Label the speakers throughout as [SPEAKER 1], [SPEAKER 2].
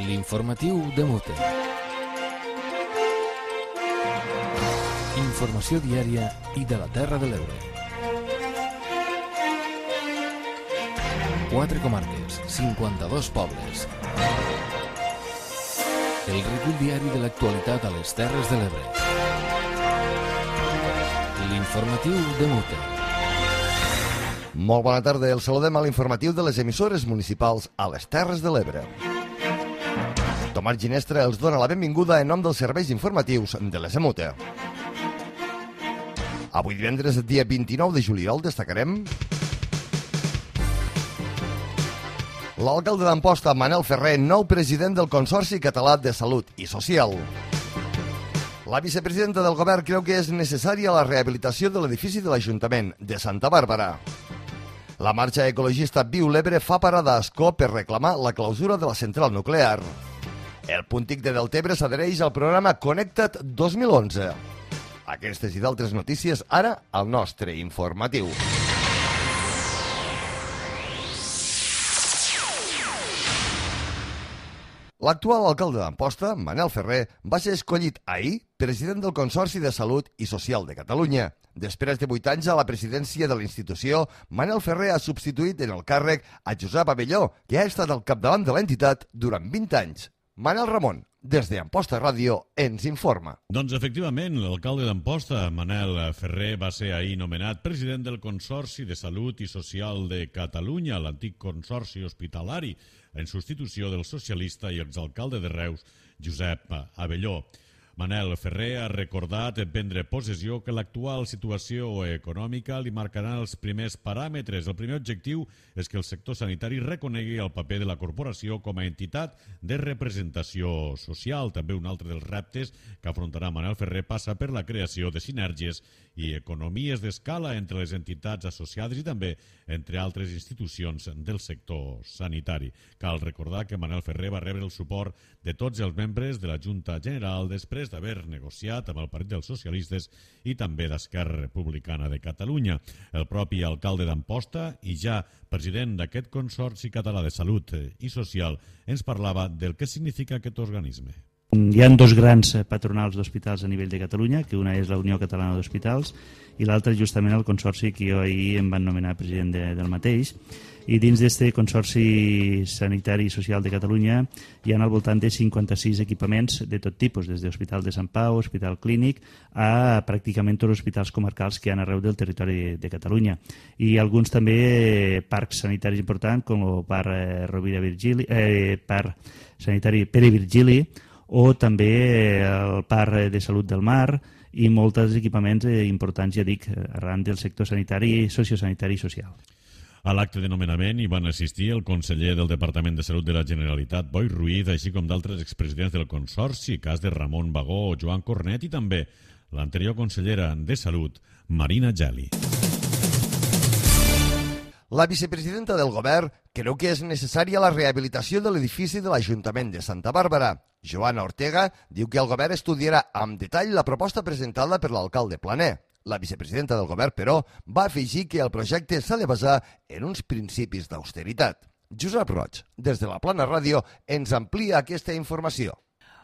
[SPEAKER 1] L'informatiu de Mute. Informació diària i de la Terra de l'Ebre. 4 comarques, 52 pobles. El recull diari de l'actualitat a les Terres de l'Ebre. L'informatiu de Mute.
[SPEAKER 2] Molt bona tarda, el saludem a l'informatiu de les emissores municipals a les Terres de l'Ebre. Tomàs Ginestra els dona la benvinguda en nom dels serveis informatius de les EMUTE. Avui divendres, dia 29 de juliol, destacarem l'alcalde d'Amposta, Manel Ferrer, nou president del Consorci Català de Salut i Social. La vicepresidenta del govern creu que és necessària la rehabilitació de l'edifici de l'Ajuntament de Santa Bàrbara. La marxa ecologista Viu l'Ebre fa parada a Ascó per reclamar la clausura de la central nuclear. El Puntic de Deltebre s'adhereix al programa Connecta't 2011. Aquestes i d'altres notícies ara al nostre informatiu. L'actual alcalde d'Amposta, Manel Ferrer, va ser escollit ahir president del Consorci de Salut i Social de Catalunya. Després de 8 anys a la presidència de la institució, Manel Ferrer ha substituït en el càrrec a Josep Abelló, que ha estat al capdavant de l'entitat durant 20 anys. Manel Ramon, des d'Amposta Ràdio, ens informa.
[SPEAKER 3] Doncs efectivament, l'alcalde d'Amposta, Manel Ferrer, va ser ahir nomenat president del Consorci de Salut i Social de Catalunya, l'antic Consorci Hospitalari, en substitució del socialista i exalcalde de Reus, Josep Abelló. Manel Ferrer ha recordat en prendre possessió que l'actual situació econòmica li marcarà els primers paràmetres. El primer objectiu és que el sector sanitari reconegui el paper de la corporació com a entitat de representació social. També un altre dels reptes que afrontarà Manel Ferrer passa per la creació de sinergies i economies d'escala entre les entitats associades i també entre altres institucions del sector sanitari. Cal recordar que Manel Ferrer va rebre el suport de tots els membres de la Junta General després d'haver negociat amb el Partit dels Socialistes i també d'Esquerra Republicana de Catalunya. El propi alcalde d'Amposta i ja president d'aquest Consorci Català de Salut i Social ens parlava del que significa aquest organisme.
[SPEAKER 4] Hi ha dos grans patronals d'hospitals a nivell de Catalunya, que una és la Unió Catalana d'Hospitals i l'altra justament el Consorci que jo ahir em van nomenar president del mateix. I dins d'aquest Consorci Sanitari i Social de Catalunya hi ha al voltant de 56 equipaments de tot tipus, des de l'Hospital de Sant Pau, Hospital Clínic, a pràcticament tots els hospitals comarcals que hi ha arreu del territori de Catalunya. I alguns també parcs sanitaris importants, com el Parc Rovira Virgili, Parc Sanitari Pere Virgili, o també el Parc de Salut del Mar i molts equipaments importants, ja dic, arran del sector sanitari, sociosanitari i social.
[SPEAKER 3] A l'acte de nomenament hi van assistir el conseller del Departament de Salut de la Generalitat, Boi Ruiz, així com d'altres expresidents del Consorci, cas de Ramon Bagó o Joan Cornet, i també l'anterior consellera de Salut, Marina Geli.
[SPEAKER 2] La vicepresidenta del govern creu que és necessària la rehabilitació de l'edifici de l'Ajuntament de Santa Bàrbara. Joana Ortega diu que el govern estudiarà amb detall la proposta presentada per l'alcalde Planer. La vicepresidenta del govern, però, va afegir que el projecte s'ha de basar en uns principis d'austeritat. Josep Roig, des de la Plana Ràdio, ens amplia aquesta informació.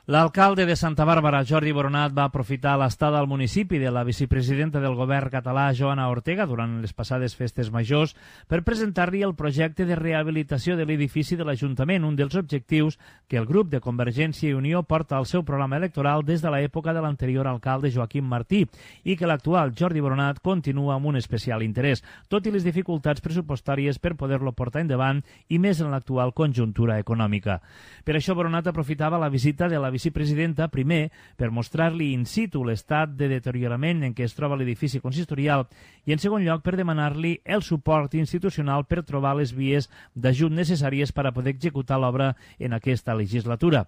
[SPEAKER 5] L'alcalde de Santa Bàrbara, Jordi Boronat, va aprofitar l'estada al municipi de la vicepresidenta del govern català, Joana Ortega, durant les passades festes majors, per presentar-li el projecte de rehabilitació de l'edifici de l'Ajuntament, un dels objectius que el grup de Convergència i Unió porta al seu programa electoral des de l'època de l'anterior alcalde Joaquim Martí i que l'actual Jordi Boronat continua amb un especial interès, tot i les dificultats pressupostàries per poder-lo portar endavant i més en l'actual conjuntura econòmica. Per això Boronat aprofitava la visita de la vicepresidenta, primer, per mostrar-li in situ l'estat de deteriorament en què es troba l'edifici consistorial i, en segon lloc, per demanar-li el suport institucional per trobar les vies d'ajut necessàries per a poder executar l'obra en aquesta legislatura.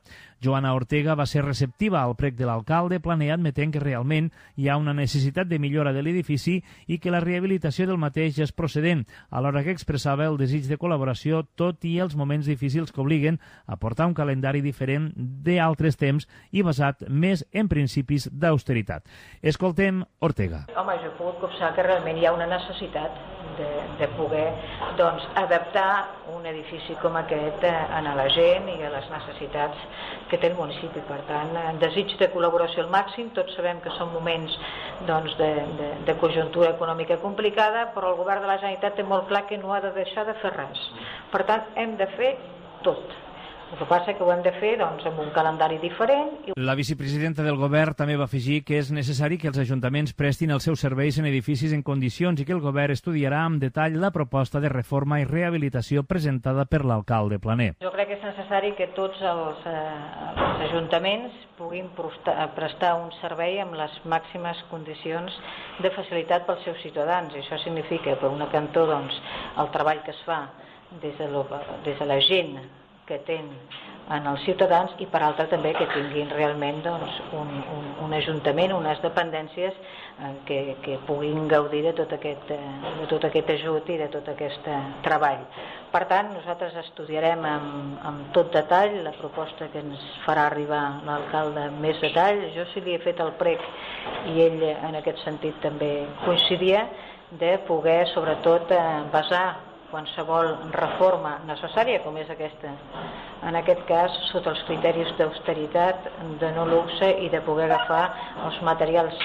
[SPEAKER 5] Joana Ortega va ser receptiva al prec de l'alcalde Planer, admetent que realment hi ha una necessitat de millora de l'edifici i que la rehabilitació del mateix és procedent, alhora que expressava el desig de col·laboració, tot i els moments difícils que obliguen a portar un calendari diferent d'altres temps i basat més en principis d'austeritat. Escoltem Ortega.
[SPEAKER 6] Home, jo he pogut copsar que realment hi ha una necessitat de poder adaptar un edifici com aquest a la gent i a les necessitats que té el municipi. Per tant, desig de col·laboració al màxim. Tots sabem que són moments de conjuntura econòmica complicada, però el govern de la Generalitat té molt clar que no ha de deixar de fer res. Per tant, hem de fer tot. El que passa és que ho hem de fer amb un calendari diferent.
[SPEAKER 5] La vicepresidenta del govern també va afegir que és necessari que els ajuntaments prestin els seus serveis en edificis en condicions i que el govern estudiarà amb detall la proposta de reforma i rehabilitació presentada per l'alcalde Planer.
[SPEAKER 6] Jo crec que és necessari que tots els ajuntaments puguin prestar un servei amb les màximes condicions de facilitat pels seus ciutadans. I això significa, per una cantó, el treball que es fa des de la gent que tenen en els ciutadans i per altra també que tinguin realment un ajuntament, unes dependències que puguin gaudir de tot aquest ajut i de tot aquest treball. Per tant, nosaltres estudiarem amb tot detall la proposta que ens farà arribar l'alcalde amb més detall. Jo sí li he fet el prec i ell en aquest sentit també coincidia de poder sobretot basar qualsevol reforma necessària, com és aquesta, en aquest cas, sota els criteris d'austeritat, de no luxe i de poder agafar els materials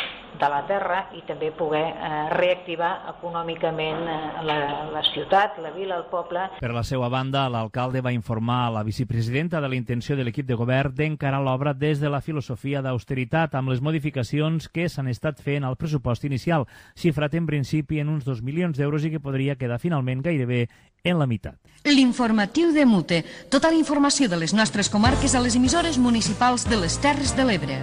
[SPEAKER 6] de la terra i també poder reactivar econòmicament la ciutat, la vila, el poble.
[SPEAKER 5] Per la seva banda, l'alcalde va informar a la vicepresidenta de la intenció de l'equip de govern d'encarar l'obra des de la filosofia d'austeritat amb les modificacions que s'han estat fent al pressupost inicial, xifrat en principi en uns 2 milions d'euros i que podria quedar finalment gairebé en la meitat.
[SPEAKER 7] L'informatiu de Mute. Tota la informació de les nostres comarques a les emissores municipals de les Terres de l'Ebre.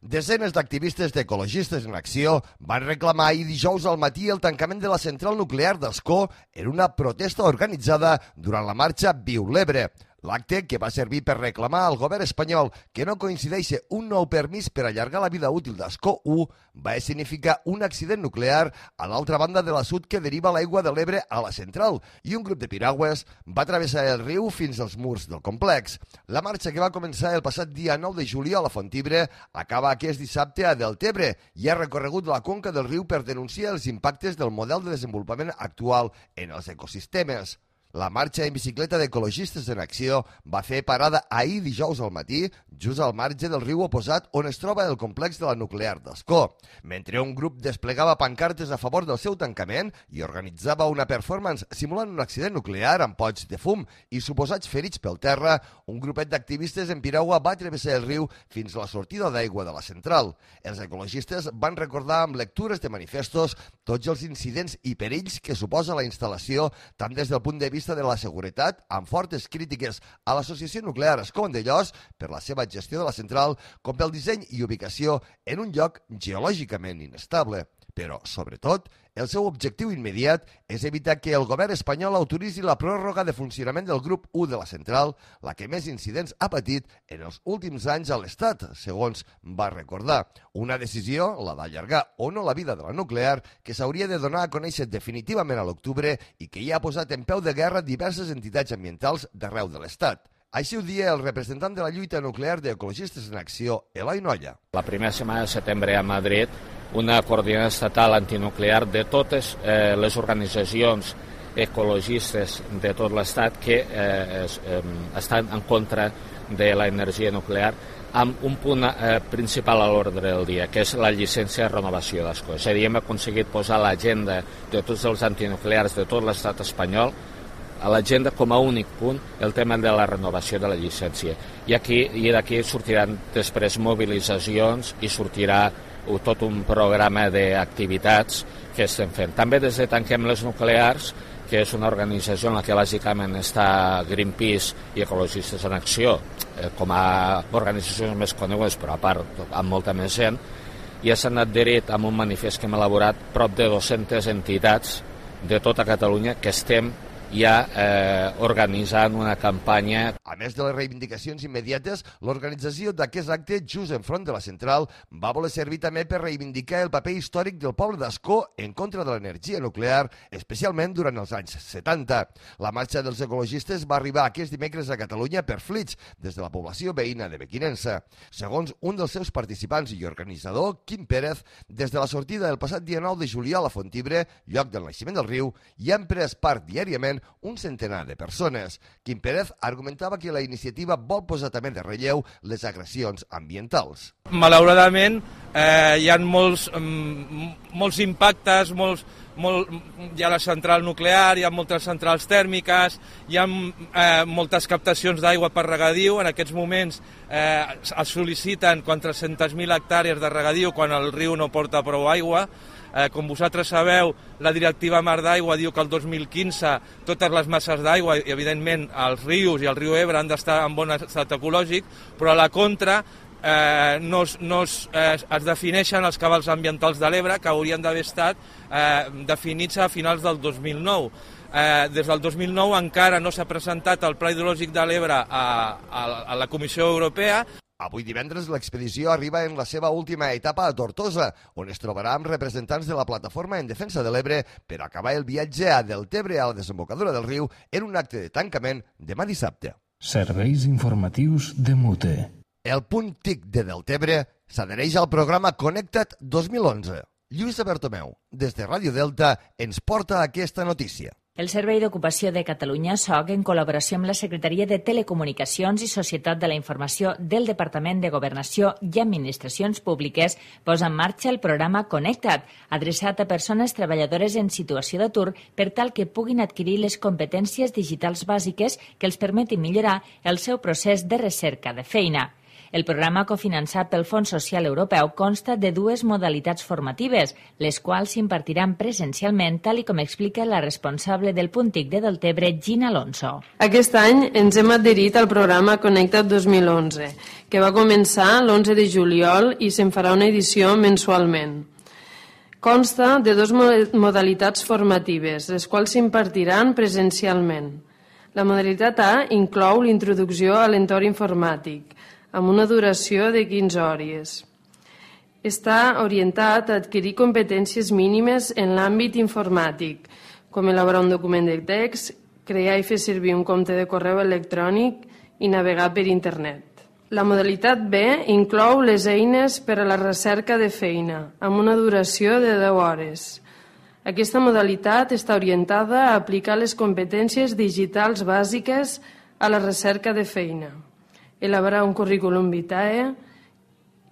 [SPEAKER 2] Desenes d'activistes d'Ecologistes en Acció van reclamar ahir dijous al matí el tancament de la central nuclear d'Ascó en una protesta organitzada durant la marxa Viu l'Ebre. L'acte, que va servir per reclamar al govern espanyol que no coincideixi un nou permís per allargar la vida útil d'Ascó 1, va significar un accident nuclear a l'altra banda de l'assut que deriva l'aigua de l'Ebre a la central i un grup de piragües va travessar el riu fins als murs del complex. La marxa, que va començar el passat dia 9 de juliol a Fontibre, acaba aquest dissabte a Deltebre i ha recorregut la conca del riu per denunciar els impactes del model de desenvolupament actual en els ecosistemes. La marxa en bicicleta d'Ecologistes en Acció va fer parada ahir dijous al matí, just al marge del riu oposat on es troba el complex de la nuclear d'Ascó. Mentre un grup desplegava pancartes a favor del seu tancament i organitzava una performance simulant un accident nuclear amb pots de fum i suposats ferits pel terra, un grupet d'activistes en piragua va travessar el riu fins a la sortida d'aigua de la central. Els ecologistes van recordar amb lectures de manifestos tots els incidents i perills que suposa la instal·lació, tant des del punt de vista de la seguretat, amb fortes crítiques a l'Associació Nuclear Ascó-Vandellòs per la seva gestió de la central, com pel disseny i ubicació en un lloc geològicament inestable. Però, sobretot, el seu objectiu immediat és evitar que el govern espanyol autoritzi la pròrroga de funcionament del grup 1 de la central, la que més incidents ha patit en els últims anys a l'Estat, segons va recordar. Una decisió, la d'allargar o no la vida de la nuclear, que s'hauria de donar a conèixer definitivament a l'octubre i que ja ha posat en peu de guerra diverses entitats ambientals d'arreu de l'Estat. Així ho dia el representant de la lluita nuclear d'Ecologistes en Acció, Eloi Nolla.
[SPEAKER 8] La primera setmana de setembre a Madrid, una coordinada estatal antinuclear de totes les organitzacions ecologistes de tot l'Estat que estan en contra de l'energia nuclear, amb un punt principal a l'ordre del dia, que és la llicència de renovació d'Ascó. És a dir, hem aconseguit posar a l'agenda de tots els antinuclears de tot l'estat espanyol a l'agenda com a únic punt el tema de la renovació de la llicència. I d'aquí sortiran després mobilitzacions i sortirà tot un programa d'activitats que estem fent. També des de Tanquem les Nuclears, que és una organització en la que bàsicament està Greenpeace i Ecologistes en Acció, com a organitzacions més conegudes, però a part amb molta més gent, ja s'han adherit amb un manifest que hem elaborat prop de 200 entitats de tota Catalunya que estem ja organitzant una campanya.
[SPEAKER 2] A més de les reivindicacions immediates, l'organització d'aquest acte, just enfront de la central, va voler servir també per reivindicar el paper històric del poble d'Ascó en contra de l'energia nuclear, especialment durant els anys 70. La marxa dels ecologistes va arribar aquest dimecres a Catalunya per Flix, des de la població veïna de Mequinensa. Segons un dels seus participants i organitzador, Quim Pérez, des de la sortida del passat dia 9 de juliol a Fontibre, lloc del naixement del riu, hi han pres part diàriament un centenar de persones. Quim Pérez argumentava que la iniciativa vol posar també de relleu les agressions ambientals.
[SPEAKER 9] Malauradament, hi ha molts impactes, hi ha la central nuclear, hi ha moltes centrals tèrmiques, hi ha moltes captacions d'aigua per regadiu. En aquests moments es sol·liciten 400.000 hectàrees de regadiu quan el riu no porta prou aigua. Com vosaltres sabeu, la directiva Mar d'Aigua diu que el 2015 totes les masses d'aigua, i evidentment els rius i el riu Ebre han d'estar en bon estat ecològic, però a la contra es defineixen els cabals ambientals de l'Ebre que haurien d'haver estat definits a finals del 2009. Des del 2009 encara no s'ha presentat el Pla Hidrològic de l'Ebre a la Comissió Europea.
[SPEAKER 2] Avui divendres l'expedició arriba en la seva última etapa a Tortosa, on es trobarà amb representants de la Plataforma en Defensa de l'Ebre per acabar el viatge a Deltebre a la desembocadura del riu en un acte de tancament demà dissabte.
[SPEAKER 1] Serveis informatius de Mute.
[SPEAKER 2] El punt TIC de Deltebre s'adhereix al programa Connecta't 2011. Lluïsa Bertomeu, des de Ràdio Delta, ens porta aquesta notícia.
[SPEAKER 10] El Servei d'Ocupació de Catalunya, SOC, en col·laboració amb la Secretaria de Telecomunicacions i Societat de la Informació del Departament de Governació i Administracions Públiques, posa en marxa el programa Connecta't, adreçat a persones treballadores en situació d'atur per tal que puguin adquirir les competències digitals bàsiques que els permetin millorar el seu procés de recerca de feina. El programa cofinançat pel Fons Social Europeu consta de dues modalitats formatives, les quals s'impartiran presencialment, tal i com explica la responsable del punt TIC de Deltebre, Gina Alonso.
[SPEAKER 11] Aquest any ens hem adherit al programa Connecta't 2011, que va començar l'11 de juliol i se'n farà una edició mensualment. Consta de dues modalitats formatives, les quals s'impartiran presencialment. La modalitat A inclou l'introducció a l'entorn informàtic, amb una duració de 15 hores. Està orientat a adquirir competències mínimes en l'àmbit informàtic, com elaborar un document de text, crear i fer servir un compte de correu electrònic i navegar per internet. La modalitat B inclou les eines per a la recerca de feina, amb una duració de 10 hores. Aquesta modalitat està orientada a aplicar les competències digitals bàsiques a la recerca de feina, elaborar un currículum vitae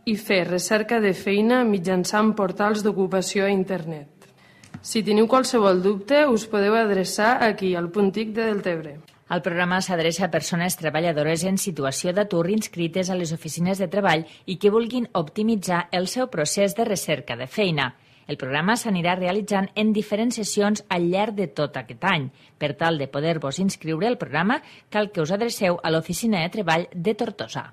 [SPEAKER 11] i fer recerca de feina mitjançant portals d'ocupació a internet. Si teniu qualsevol dubte, us podeu adreçar aquí, al punt TIC de Deltebre.
[SPEAKER 10] El programa s'adreça a persones treballadores en situació d'atur inscrites a les oficines de treball i que vulguin optimitzar el seu procés de recerca de feina. El programa s'anirà realitzant en diferents sessions al llarg de tot aquest any. Per tal de poder-vos inscriure al programa, cal que us adreceu a l'Oficina de Treball de Tortosa.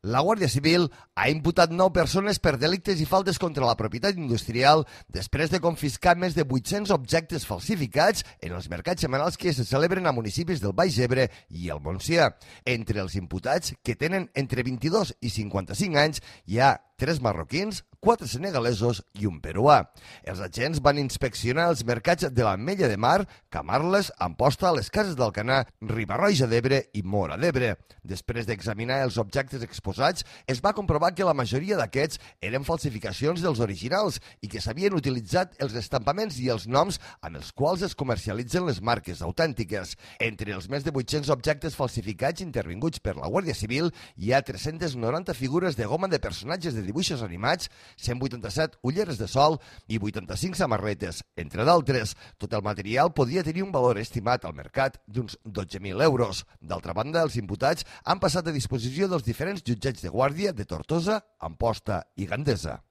[SPEAKER 2] La Guàrdia Civil ha imputat 9 persones per delictes i faltes contra la propietat industrial després de confiscar més de 800 objectes falsificats en els mercats setmanals que se celebren a municipis del Baix Ebre i el Montsià. Entre els imputats, que tenen entre 22 i 55 anys, hi ha 3 marroquins, 4 senegalesos i un peruà. Els agents van inspeccionar els mercats de l'Ametlla de Mar, Camarles, Amposta, les Cases d'Alcanar, Riba-roja d'Ebre i Móra d'Ebre. Després d'examinar els objectes exposats, es va comprovar que la majoria d'aquests eren falsificacions dels originals i que s'havien utilitzat els estampaments i els noms amb els quals es comercialitzen les marques autèntiques. Entre els més de 800 objectes falsificats intervinguts per la Guàrdia Civil hi ha 390 figures de goma de personatges de dibuixos animats, 187 ulleres de sol i 85 samarretes, entre d'altres. Tot el material podria tenir un valor estimat al mercat d'uns 12.000 euros. D'altra banda, els imputats han passat a disposició dels diferents jutjats de guàrdia de Tortosa, Amposta i Gandesa.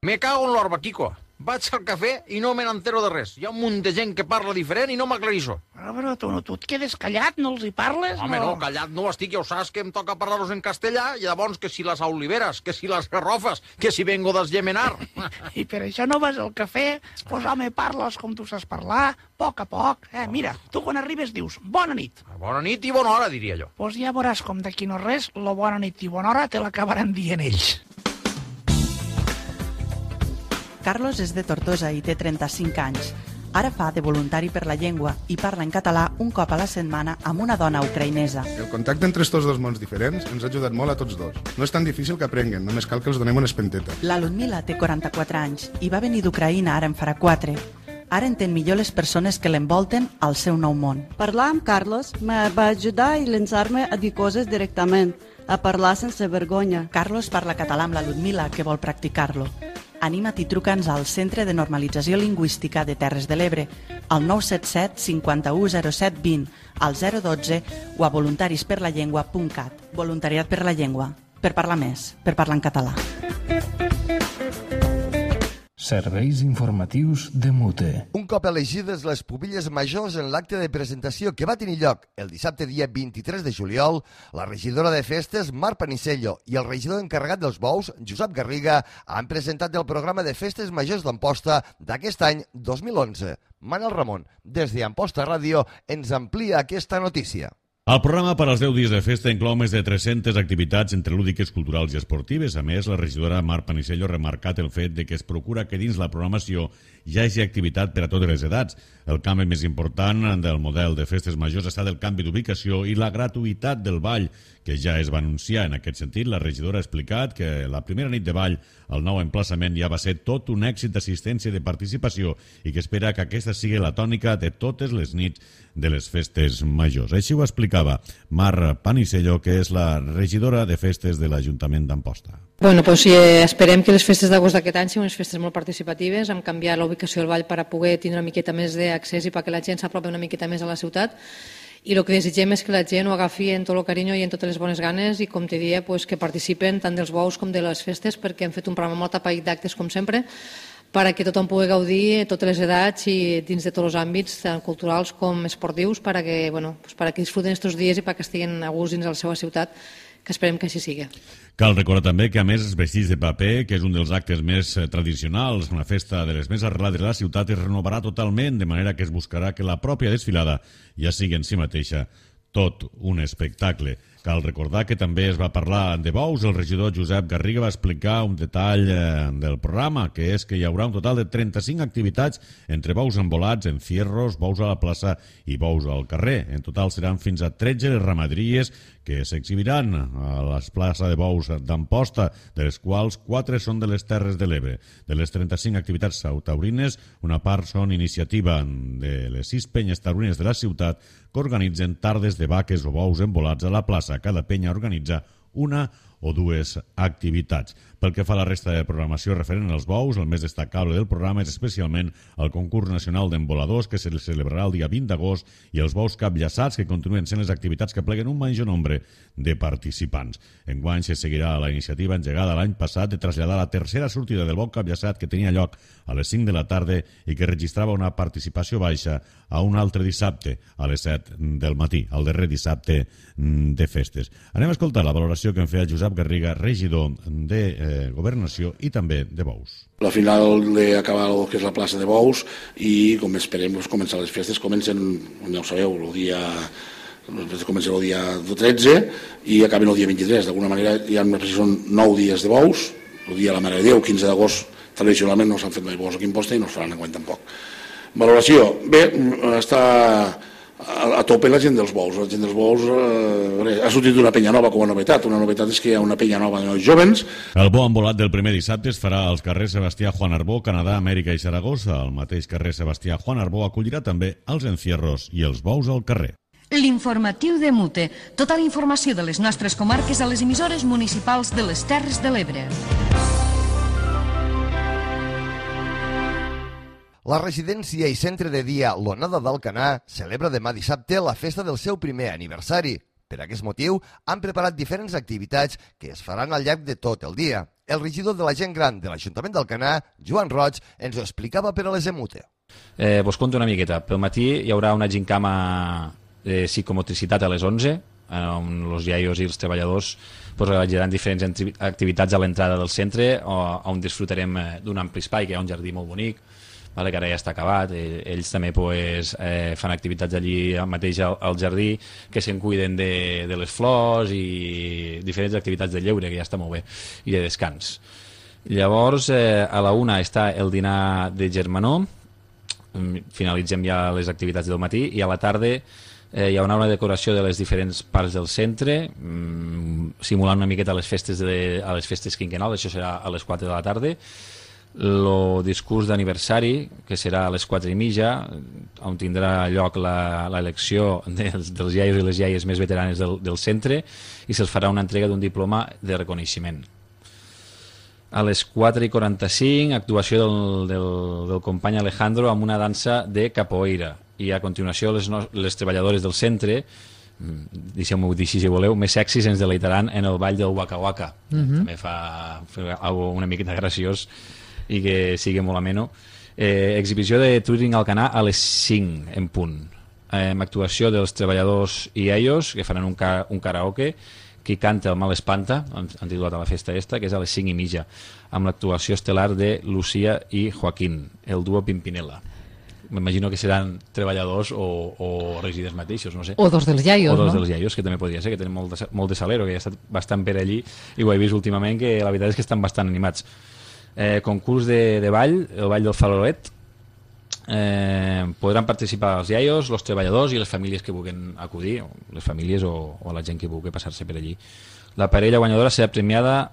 [SPEAKER 12] Me cago en l'Orbaquico. Vaig al cafè i no me n'entero de res. Hi ha un munt de gent que parla diferent i no m'aclarissó.
[SPEAKER 13] Però tu et quedes callat, no els hi parles?
[SPEAKER 12] Home, no, callat no estic, ja ho saps que em toca parlar-los en castellà, i llavors que si les oliveres, que si les garrofes, que si vengo d'Esgemenar.
[SPEAKER 13] I per això no vas al cafè? Pues home, parles com tu saps parlar, a poc. Mira, tu quan arribes dius bona nit.
[SPEAKER 12] Bona nit i bona hora, diria jo.
[SPEAKER 13] Pues ja veuràs com d'aquí no res, la bona nit i bona hora te l'acabaran dient ells.
[SPEAKER 14] Carlos és de Tortosa i té 35 anys. Ara fa de voluntari per la llengua i parla en català un cop a la setmana amb una dona ucraïnesa.
[SPEAKER 15] El contacte entre estos dos mons diferents ens ha ajudat molt a tots dos. No és tan difícil que aprenguen, només cal que els donem una espenteta.
[SPEAKER 14] La Ludmila té 44 anys i va venir d'Ucraïna ara en farà 4. Ara entén millor les persones que l'envolten al seu nou món.
[SPEAKER 16] Parlar amb Carlos me va ajudar i llançar-me a dir coses directament, a parlar sense vergonya.
[SPEAKER 14] Carlos parla català amb la Ludmila, que vol practicar-lo. Anima't i truca'ns al Centre de Normalització Lingüística de Terres de l'Ebre, al 977 51 07 20, al 012 o a voluntarisperlallengua.cat. Voluntariat per la llengua. Per parlar més, per parlar en català.
[SPEAKER 1] Serveis informatius de Mute.
[SPEAKER 2] Un cop elegides les pubilles majors en l'acte de presentació que va tenir lloc el dissabte dia 23 de juliol, la regidora de festes, Mar Panisello, i el regidor encarregat dels bous, Josep Garriga, han presentat el programa de festes majors d'Amposta d'aquest any 2011. Manel Ramon, des d'Amposta Ràdio, ens amplia aquesta notícia.
[SPEAKER 3] El programa per als 10 dies de festa inclou més de 300 activitats entre lúdiques, culturals i esportives. A més, la regidora Mar Panisello ha remarcat el fet de que es procura que dins la programació hi hagi activitat per a totes les edats. El canvi més important del model de festes majors ha estat el canvi d'ubicació i la gratuïtat del ball, que ja es va anunciar. En aquest sentit, la regidora ha explicat que la primera nit de ball al nou emplaçament ja va ser tot un èxit d'assistència i de participació i que espera que aquesta sigui la tònica de totes les nits de les festes majors. Així ho explicava Mar Panisello, que és la regidora de festes de l'Ajuntament d'Amposta.
[SPEAKER 17] Bueno, pues esperem que les festes d'agost d'aquest any siguin unes festes molt participatives, hem canviat la ubicació del ball per a poder tindre una miqueta més d'accés i perquè la gent s'apropi una miqueta més a la ciutat. I el que desitgem és que la gent ho agafi en tot el carinyo i en totes les bones ganes i, com te dia, pues, que participen tant dels bous com de les festes, perquè hem fet un programa molt tapat d'actes, com sempre, perquè tothom pugui gaudir a totes les edats i dins de tots els àmbits, tant culturals com esportius, perquè disfruten aquests dies i perquè estiguin a gust dins de la seva ciutat, que esperem que així sigui.
[SPEAKER 3] Cal recordar també que, a més, els vestits de paper, que és un dels actes més tradicionals, una festa de les més arrelades de la ciutat, es renovarà totalment, de manera que es buscarà que la pròpia desfilada ja sigui en si mateixa tot un espectacle. Cal recordar que també es va parlar de bous. El regidor Josep Garriga va explicar un detall del programa, que és que hi haurà un total de 35 activitats entre bous envolats, encierros, bous a la plaça i bous al carrer. En total seran fins a 13 les ramaderies que s'exhibiran a la plaça de bous d'Amposta, de les quals 4 són de les Terres de l'Ebre. De les 35 activitats taurines, una part són iniciativa de les 6 penyes taurines de la ciutat que organitzen tardes de vaques o bous envolats a la plaça. Cada penya organitza una o dues activitats. Pel que fa a la resta de programació referent als bous, el més destacable del programa és especialment el concurs nacional d'emboladors, que se celebrarà el dia 20 d'agost, i els bous capllaçats, que continuen sent les activitats que pleguen un major nombre de participants. Enguany se seguirà la iniciativa engegada l'any passat de traslladar la tercera sortida del bou capllaçat, que tenia lloc a les 5 de la tarda i que registrava una participació baixa, a un altre dissabte, a les 7 del matí, el darrer dissabte de festes. Anem a escoltar la valoració que en feia Josep Garriga, regidor de Governació i també de bous.
[SPEAKER 18] La final d'acabar el que és la plaça de bous i, com esperem, començar les festes. Comencen, ja ho sabeu, comencen el dia 13 i acaben el dia 23. D'alguna manera hi ha són 9 dies de bous. El dia de la Mare de Déu, 15 d'agost, tradicionalment no s'han fet mai bous aquí a Amposta i no es faran enguany tampoc. Valoració. Bé, està a tope la gent dels bous. La gent dels bous ha sortit una penya nova com a novetat. Una novetat és que hi ha una penya nova de nois jovens.
[SPEAKER 3] El bo embolat del primer dissabte es farà als carrers Sebastià Juan Arbó, Canadà, Amèrica i Saragossa. El mateix carrer Sebastià Juan Arbó acollirà també els encierros i els bous al carrer.
[SPEAKER 7] L'informatiu de Mute. Tota la informació de les nostres comarques a les emissores municipals de les Terres de l'Ebre.
[SPEAKER 2] La residència i centre de dia L'Onada d'Alcanar celebra demà dissabte la festa del seu primer aniversari. Per aquest motiu, han preparat diferents activitats que es faran al llarg de tot el dia. El regidor de la gent gran de l'Ajuntament d'Alcanar, Joan Roig, ens ho explicava per a les EMUTE.
[SPEAKER 19] Vos conto una miqueta. Pel matí hi haurà una gincama de psicomotricitat a les 11, on els iaios i els treballadors realitzaran diferents activitats a l'entrada del centre, on disfrutarem d'un ampli espai, que hi ha un jardí molt bonic, que ara ja està acabat. Ells també fan activitats allí mateix al jardí, que se'n cuiden de les flors i diferents activitats de lleure, que ja està molt bé, i de descans. Llavors, a la 1 està el dinar de germanor, finalitzem ja les activitats del matí, i a la tarda hi haurà una decoració de les diferents parts del centre, simulant una miqueta les festes quinquennals. Això serà a les 4 de la tarda. El discurs d'aniversari, que serà a les 4:30, on tindrà lloc l'elecció dels iaios i les iaies més veteranes del centre, i se'ls farà una entrega d'un diploma de reconeixement. A les 4:45, actuació del company Alejandro amb una dansa de capoeira, i a continuació les treballadores del centre, deixeu-m'ho dir si voleu, més sexis ens deleitaran en el ball del Waka Waka. També fa una miqueta graciós i que sigui molt ameno. Exhibició de Touring Alcanar a les 5 en punt, amb actuació dels treballadors i ells, que faran un karaoke. Qui canta el mal espanta, han titulat a la festa esta, que és a les 5:30, amb l'actuació estel·lar de Lucía i Joaquín, el duo Pimpinela. M'imagino que seran treballadors o residents mateixos, no sé.
[SPEAKER 20] O dos dels iaios,
[SPEAKER 19] no? O dos
[SPEAKER 20] dels
[SPEAKER 19] iaios, que també podria ser, que tenen molt de salero, que ja ha estat bastant per allí, i ho he vist últimament, que la veritat és que estan bastant animats. Concurs de ball, el ball del Faloret. Podran participar els iaios, els treballadors i les famílies que vulguin acudir, les famílies o la gent que vulgui passar-se per allí. La parella guanyadora serà premiada,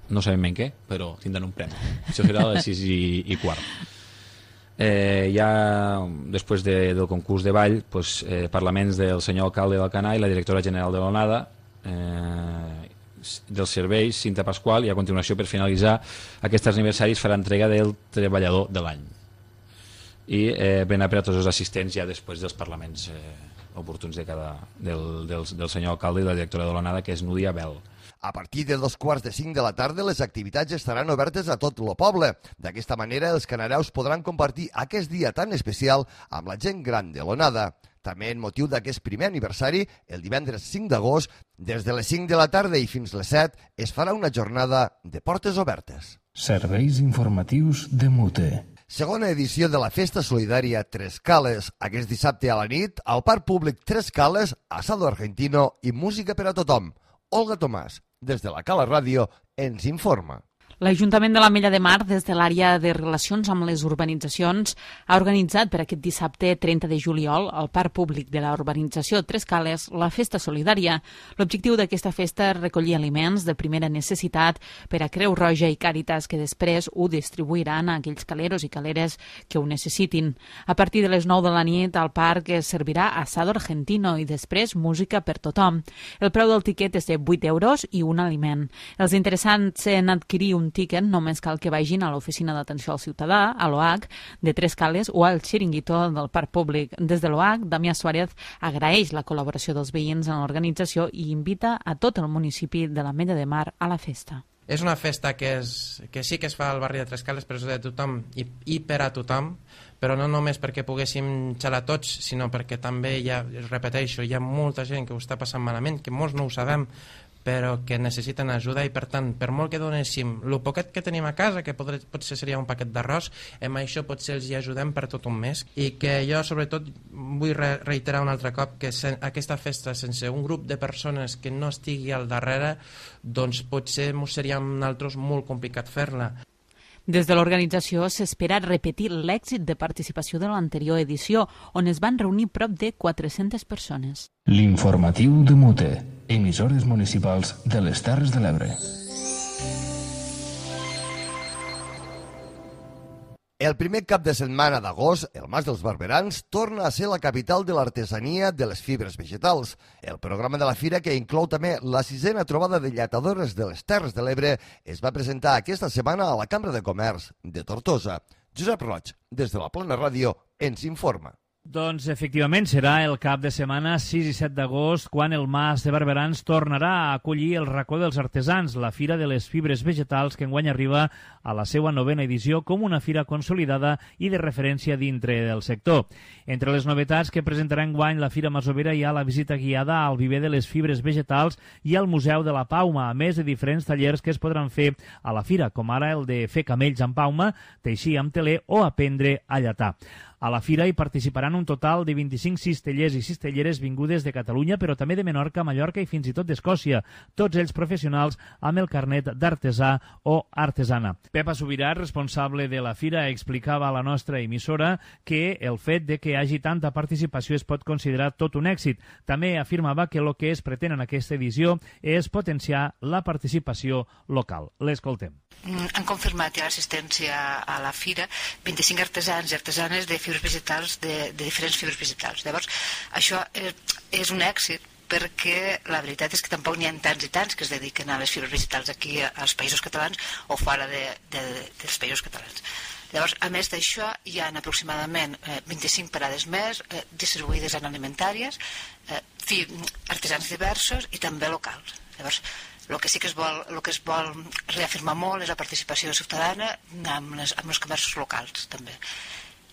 [SPEAKER 19] no sabem ben què, però tindran un premi. Això serà a les 6:15. Ja després del concurs de ball, parlaments del senyor alcalde d'Alcanar i la directora general de l'ONADA, dels serveis, Cinta Pasqual, i a continuació, per finalitzar aquests aniversaris, farà entrega del treballador de l'any. I ben a tots els assistents ja després dels parlaments oportuns del senyor alcalde i la directora de l'ONADA, que és Núdia Bel.
[SPEAKER 2] A partir de 4:45 de la tarda, les activitats estaran obertes a tot el poble. D'aquesta manera, els canareus podran compartir aquest dia tan especial amb la gent gran de l'ONADA. També en motiu d'aquest primer aniversari, el divendres 5 d'agost, des de les 5 de la tarda i fins les 7, es farà una jornada de portes obertes.
[SPEAKER 1] Serveis informatius de MUTE.
[SPEAKER 2] Segona edició de la Festa Solidària Tres Cales. Aquest dissabte a la nit, al Parc Públic Tres Cales, asado argentino i música per a tothom. Olga Tomàs, des de la Cala Ràdio, ens informa.
[SPEAKER 21] L'Ajuntament de l'Ametlla de Mar, des de l'àrea de relacions amb les urbanitzacions, ha organitzat per aquest dissabte 30 de juliol al Parc Públic de la urbanització Tres Cales la Festa Solidària. L'objectiu d'aquesta festa és recollir aliments de primera necessitat per a Creu Roja i Càritas, que després ho distribuiran a aquells caleros i caleres que ho necessitin. A partir de les 9 de la nit, al parc es servirà asado argentino i després música per tothom. El preu del tiquet és de 8 euros i un aliment. Els interessants en adquirir un tiquet només cal que vagin a l'Oficina d'Atenció al Ciutadà, a l'OH, de Tres Cales o al Xiringuito del Parc Públic. Des de l'OH, Damià Suárez agraeix la col·laboració dels veïns en l'organització i invita a tot el municipi de l'Ametlla de Mar a la festa.
[SPEAKER 22] És una festa que sí que es fa al barri de Tres Cales, però és de tothom i per a tothom, però no només perquè poguéssim xalar tots, sinó perquè també, repeteixo, hi ha molta gent que ho està passant malament, que molts no ho sabem, però que necessiten ajuda, i per tant, per molt que donéssim el poquet que tenim a casa, que potser seria un paquet d'arròs, amb això potser els hi ajudem per tot un mes. I que jo sobretot vull reiterar un altre cop que aquesta festa, sense un grup de persones que no estigui al darrere, doncs potser seria a nosaltres molt complicat fer-la.
[SPEAKER 21] Des de l'organització s'espera repetir l'èxit de participació de l'anterior edició, on es van reunir prop de 400 persones.
[SPEAKER 1] L'informatiu de MUTE, emissores municipals de les Terres de l'Ebre.
[SPEAKER 2] El primer cap de setmana d'agost, el Mas dels Barberans torna a ser la capital de l'artesania de les fibres vegetals. El programa de la fira, que inclou també la 6a trobada de lletadores de les Terres de l'Ebre, es va presentar aquesta setmana a la Cambra de Comerç de Tortosa. Josep Roig, des de la Plana Ràdio, ens informa.
[SPEAKER 5] Doncs, efectivament, serà el cap de setmana 6 i 7 d'agost quan el Mas de Barberans tornarà a acollir el Racó dels Artesans, la Fira de les Fibres Vegetals, que enguany arriba a la seva 9ª edició com una fira consolidada i de referència dintre del sector. Entre les novetats que presentarà enguany la Fira Masovera hi ha la visita guiada al viver de les fibres vegetals i al Museu de la Pauma, a més de diferents tallers que es podran fer a la fira, com ara el de fer camells amb pauma, teixir amb teler o aprendre a llatar. A la fira hi participaran un total de 25 cistellers i cistelleres vingudes de Catalunya, però també de Menorca, Mallorca i fins i tot d'Escòcia, tots ells professionals amb el carnet d'artesà o artesana. Pepa Subirà, responsable de la fira, explicava a la nostra emissora que el fet de que hi hagi tanta participació es pot considerar tot un èxit. També afirmava que el que es pretén en aquesta edició és potenciar la participació local. L'escoltem.
[SPEAKER 4] Han confirmat ja l'assistència a la fira 25 artesans i artesanes de fibres vegetals, de diferents fibres vegetals. Llavors, això és un èxit perquè la veritat és que tampoc n'hi ha tants i tants que es dediquen a les fibres vegetals aquí als països catalans o fora dels països catalans. Llavors, a més d'això, hi ha aproximadament 25 parades més distribuïdes en alimentàries, artesans diversos i també locals. Llavors, el que sí que es vol reafirmar molt és la participació ciutadana amb els comerços locals, també.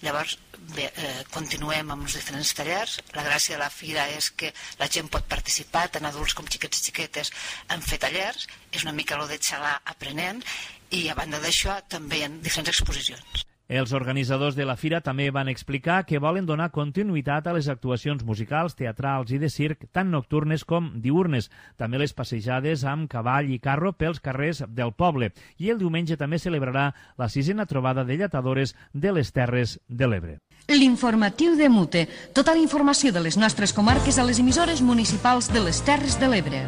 [SPEAKER 4] Llavors, bé, continuem amb els diferents tallers. La gràcia de la fira és que la gent pot participar, tant adults com xiquets i xiquetes, en fer tallers. És una mica el de xalar aprenent i, a banda d'això, també hi ha diferents exposicions.
[SPEAKER 5] Els organitzadors de la fira també van explicar que volen donar continuïtat a les actuacions musicals, teatrals i de circ, tant nocturnes com diurnes. També les passejades amb cavall i carro pels carrers del poble. I el diumenge també celebrarà la 6a trobada de lletadores de les Terres de l'Ebre.
[SPEAKER 7] L'informatiu de Mute. Tota la informació de les nostres comarques a les emissores municipals de les Terres de l'Ebre.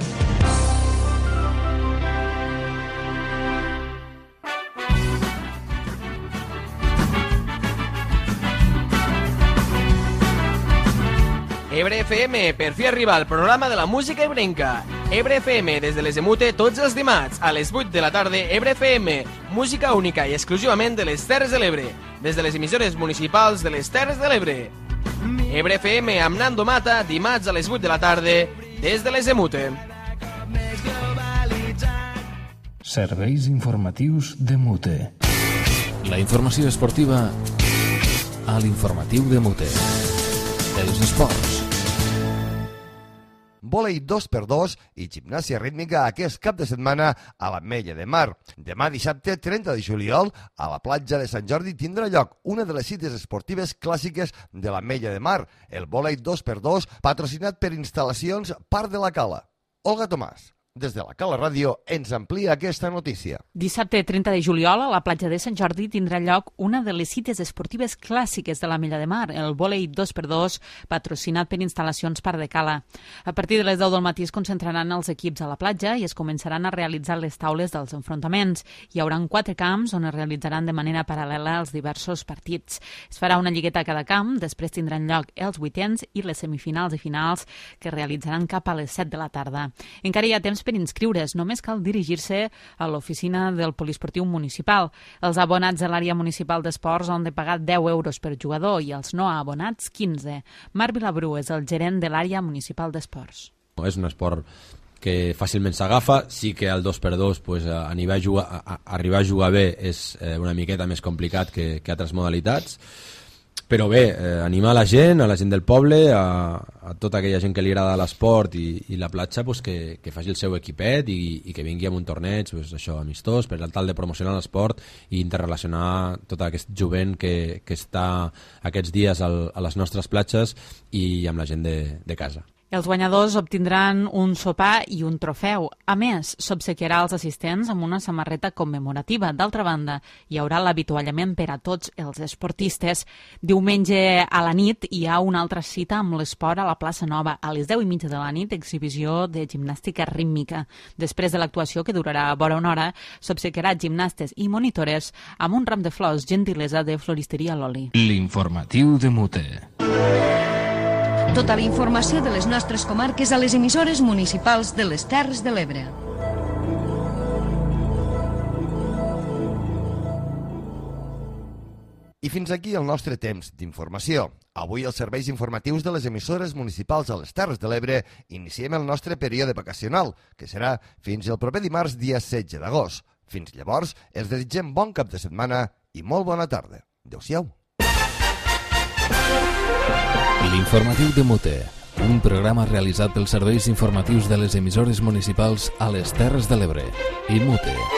[SPEAKER 20] Ebre FM, per fi arriba el programa de la música ebrenca. Ebre FM, des de les de Mute, tots els dimarts, a les 8 de la tarda, Ebre FM, música única i exclusivament de les Terres de l'Ebre, des de les emissores municipals de les Terres de l'Ebre. Ebre FM amb Nando Mata, dimarts a les 8 de la tarda, des de les de Mute.
[SPEAKER 1] Serveis informatius de Mute.
[SPEAKER 23] La informació esportiva a l'informatiu de Mute. Els esports.
[SPEAKER 2] Vòlei 2x2 i gimnàsia rítmica aquest cap de setmana a l'Ametlla de Mar. Demà dissabte 30 de juliol a la platja de Sant Jordi tindrà lloc una de les cites esportives clàssiques de l'Ametlla de Mar, el vòlei 2x2 patrocinat per instal·lacions Parc de la Cala. Olga Tomàs, des de la Cala Ràdio, ens amplia aquesta notícia.
[SPEAKER 21] Dissabte 30 de juliol, a la platja de Sant Jordi tindrà lloc una de les cites esportives clàssiques de l'Ametlla de Mar, el vòlei 2x2, patrocinat per instal·lacions Parc de Cala. A partir de les 10 del matí es concentraran els equips a la platja i es començaran a realitzar les taules dels enfrontaments. Hi haurà 4 camps on es realitzaran de manera paral·lela els diversos partits. Es farà una lligueta a cada camp, després tindran lloc els vuitens i les semifinals i finals que es realitzaran cap a les 7 de la tarda. Encara hi ha temps per inscriure's, només cal dirigir-se a l'oficina del poliesportiu municipal. Els abonats de l'àrea municipal d'esports han de pagar 10 euros per jugador i els no abonats 15. Marc Vilabrú és el gerent de l'àrea municipal d'esports.
[SPEAKER 24] És un esport que fàcilment s'agafa, sí que el 2x2 pues, arribar a jugar bé és una miqueta més complicat que altres modalitats. Però bé, animar a la gent del poble, a tota aquella gent que li agrada l'esport i la platja, pues, que faci el seu equipet i que vingui amb un torneig pues, això, amistós, per tal de promocionar l'esport i interrelacionar tot aquest jovent que està aquests dies a les nostres platges i amb la gent de casa.
[SPEAKER 21] Els guanyadors obtindran un sopar i un trofeu. A més, s'obsequiarà als assistents amb una samarreta commemorativa. D'altra banda, hi haurà l'avituallament per a tots els esportistes. Diumenge a la nit hi ha una altra cita amb l'esport a la plaça Nova. A les 10:30 de la nit, exhibició de gimnàstica rítmica. Després de l'actuació, que durarà vora una hora, s'obsequiarà gimnastes i monitores amb un ram de flors, gentilesa de Floristeria Loli.
[SPEAKER 1] L'informatiu de Mute.
[SPEAKER 7] Tota la informació de les nostres comarques a les emissores municipals de les Terres de l'Ebre.
[SPEAKER 2] I fins aquí el nostre temps d'informació. Avui els serveis informatius de les emissores municipals a les Terres de l'Ebre iniciem el nostre període vacacional, que serà fins el proper dimarts, dia 16 d'agost. Fins llavors, els desitgem bon cap de setmana i molt bona tarda. Adéu-siau.
[SPEAKER 23] L'informatiu de Mute, un programa realitzat pels serveis informatius de les emissores municipals a les Terres de l'Ebre i Mute.